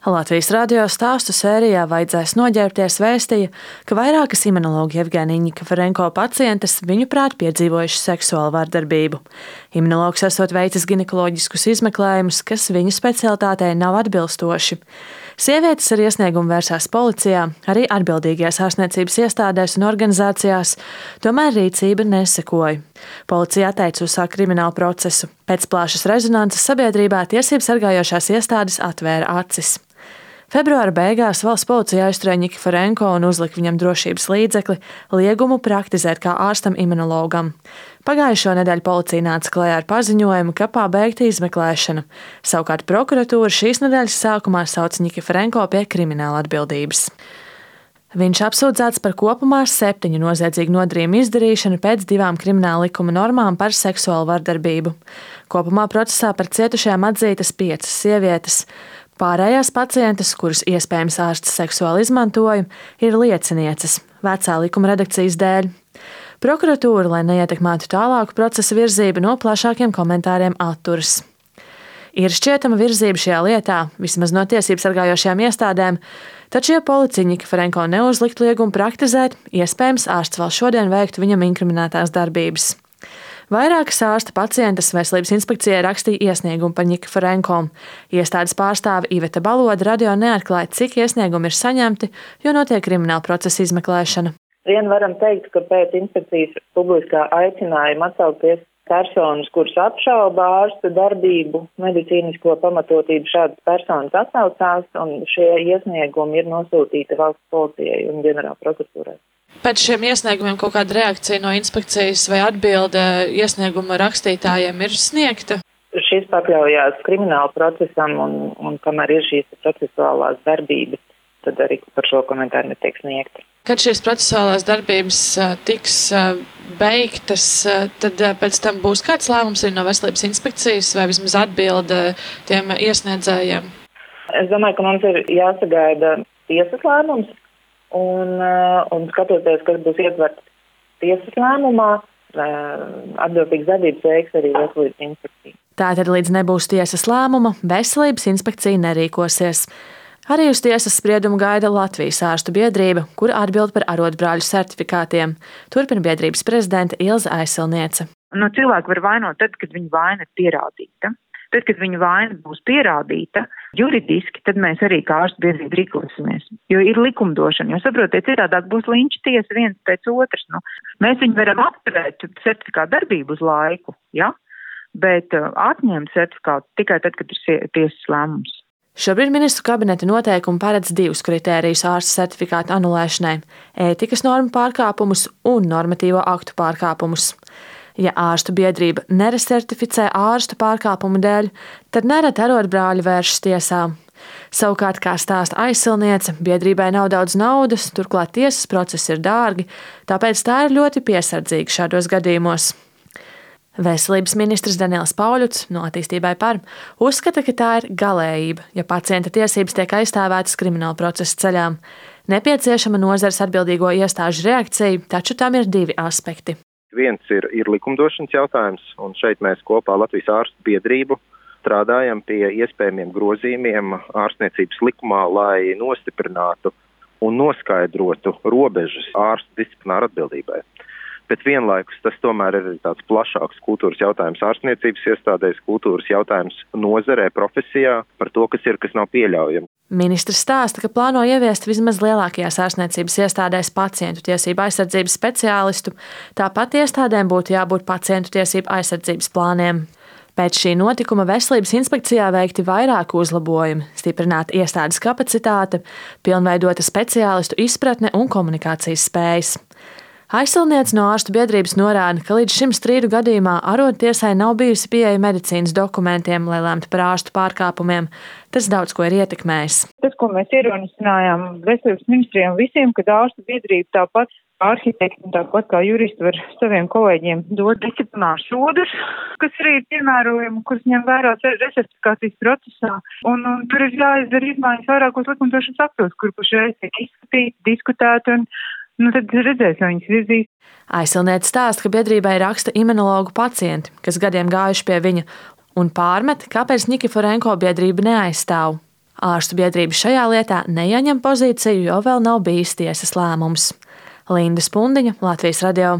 Latvijas radio stāstu sērijā Vajadzēs noģērbties vēstīja, ka vairākas imunologa Jevgenija Nikiforenko pacientes viņuprāt piedzīvojušas seksuālu vardarbību. Imunologs esot veicis ginekoloģiskus izmeklējumus, kas viņa specialitātei nav atbilstoši. Sievietes ar iesniegumu vērsās policijā, arī atbildīgajās ārstniecības iestādēs un organizācijās, tomēr rīcība nesekoja. Policija atteica uzsākt kriminālu procesu. Pēc plašas rezonances sabiedrībā tiesību sargājošās iestādes atvēra acis. Februāra beigās valsts policija aizturēja Nikiforenko un uzlika viņam drošības līdzekli liegumu praktizēt kā ārstam imunologam. Pagājušo nedēļu policija nāca klajā ar paziņojumu, ka pabeigta izmeklēšana. Savukārt prokuratūra šīs nedēļas sākumā sauc Nikiforenko pie krimināla atbildības. Viņš apsūdzēts par kopumā 7 noziedzīgu nodarījumu izdarīšanu pēc 2 krimināla likuma normām par seksuālu vardarbību. Kopumā procesā par cietušajām atzītas 5 sievietes. Pārējās pacientes, kuras iespējams ārsts seksuāli izmantoja, ir liecinieces, vecā likuma redakcijas dēļ. Prokuratūra, lai neietekmētu tālāku procesa virzību, no plašākiem komentāriem atturas. Ir šķietama virzība šajā lietā, vismaz no tiesību sargājošajām iestādēm, taču, ja policija Nikiforenko neuzliktu liegumu praktizēt, iespējams ārsts vēl šodien veiktu viņam inkriminētās darbības. Vairākas ārsta pacientes Veselības inspekcijai rakstīja iesniegumu par Nikiforenko. Iestādes pārstāve Iveta Baloda radio neatklāja, cik iesniegumi ir saņemti, jo notiek krimināla procesa izmeklēšana. Vien varam teikt, ka pēc inspekcijas publiskā aicinājuma atsaukties personas, kuras apšauba ārsta darbību, medicīnisko pamatotību, šādas personas atsaucās, un šie iesniegumi ir nosūtīti valsts policijai un ģenerāla prokuratūrai. Pēc šiem iesniegumiem kaut kāda reakcija no inspekcijas vai atbilde iesnieguma rakstītājiem ir sniegta? Šis pakļaujās krimināla procesam un kamēr ir šīs procesuālās darbības, tad arī par šo komentāru netiek sniegta. Kad šīs procesuālās darbības tiks beigtas, tad pēc tam būs kāds lēmums arī no Veselības inspekcijas vai vismaz atbilde tiem iesniedzējiem? Es domāju, ka mums ir jāsagaida tiesas lēmums. Un skatoties, kas būs ietverts tiesas lēmumā, atbildīgas darbības veiks arī Veselības inspekcija. Tātad līdz nebūs tiesas lēmuma, Veselības inspekcija nerīkosies. Arī uz tiesas spriedumu gaida Latvijas ārstu biedrība, kur atbild par arotbrāļu certifikātiem. Turpina biedrības prezidente Ilze Aisilniece. Cilvēku var vainot tad, kad viņa vaina ir pierādīta. Tad, kad viņa vaina būs pierādīta juridiski, tad mēs arī kā ārstu biedrība rīkosimies. Jo ir likumdošana, jo saprotiet, citādāk būs linča tiesa viens pēc otras. Mēs viņu varam apturēt certifikātu darbību uz laiku, ja? Bet atņemt certifikātu tikai tad, kad ir tiesas lēmums. Šobrīd ministru kabineta noteikumi paredz 2 kritērijus ārsta certifikātu anulēšanai – ētikas normu pārkāpumus un normatīvo aktu pārkāpumus. Ja ārstu biedrība neresertificē ārstu pārkāpumu dēļ, tad nereti arotbrāļi vēršas tiesā. Savukārt, kā stāsta Aisilniece, biedrībai nav daudz naudas, turklāt tiesas procesi ir dārgi, tāpēc tā ir ļoti piesardzīga šādos gadījumos. Veselības ministrs Daniels Pauļuts no Attīstībai par uzskata, ka tā ir galējība, ja pacienta tiesības tiek aizstāvētas krimināla procesa ceļā. Nepieciešama nozares atbildīgo iestāžu reakcija, taču tam ir 2 aspekti. Viens ir likumdošanas jautājums, un šeit mēs kopā Latvijas ārstu biedrību strādājam pie iespējamiem grozījumiem ārstniecības likumā, lai nostiprinātu un noskaidrotu robežas ārstu disciplināru atbildībai. Bet vienlaikus tas tomēr ir tāds plašāks kultūras jautājums ārstniecības iestādēs, kultūras jautājums nozarē, profesijā par to, kas ir, kas nav pieļaujami. Ministrs stāsta, ka plāno ieviest vismaz lielākajās ārstniecības iestādēs pacientu tiesību aizsardzības speciālistu, tāpat iestādēm būtu jābūt pacientu tiesību aizsardzības plāniem. Pēc šī notikuma Veselības inspekcijā veikti vairāki uzlabojumi, stiprināta iestādes kapacitāte, pilnveidota speciālistu izpratne un komunikācijas spējas. Aisilniece no ārstu biedrības norāda, ka līdz šim strīdu gadījumā arottiesai nav bijusi pieeja medicīnas dokumentiem, lai lemtu par ārstu pārkāpumiem. Tas daudz ko ir ietekmējis. Tas, ko mēs ierosinājām Veselības ministrijām visiem, kad ārstu biedrība tāpat arhitekti un tāpat kā juristi var saviem kolēģiem dot disciplināru sodus, kas arī ir piemērojami, kurus ņem vērā resertifikācijas procesā. Un tur ir jāizdara izmaiņas vairākos likumdošanas aktos, kur pašreiz tiek izskatīti, diskutēti un tad redzēs, vai viņas virzīs. Aisilniece stāsta, ka biedrībai raksta imunologu pacienti, kas gadiem gājuši pie viņa, un pārmet, kāpēc Nikiforenko biedrība neaizstāv. Ārstu biedrība šajā lietā neieņem pozīciju, jo vēl nav bijis tiesas lēmums. Linda Spundiņa, Latvijas radio.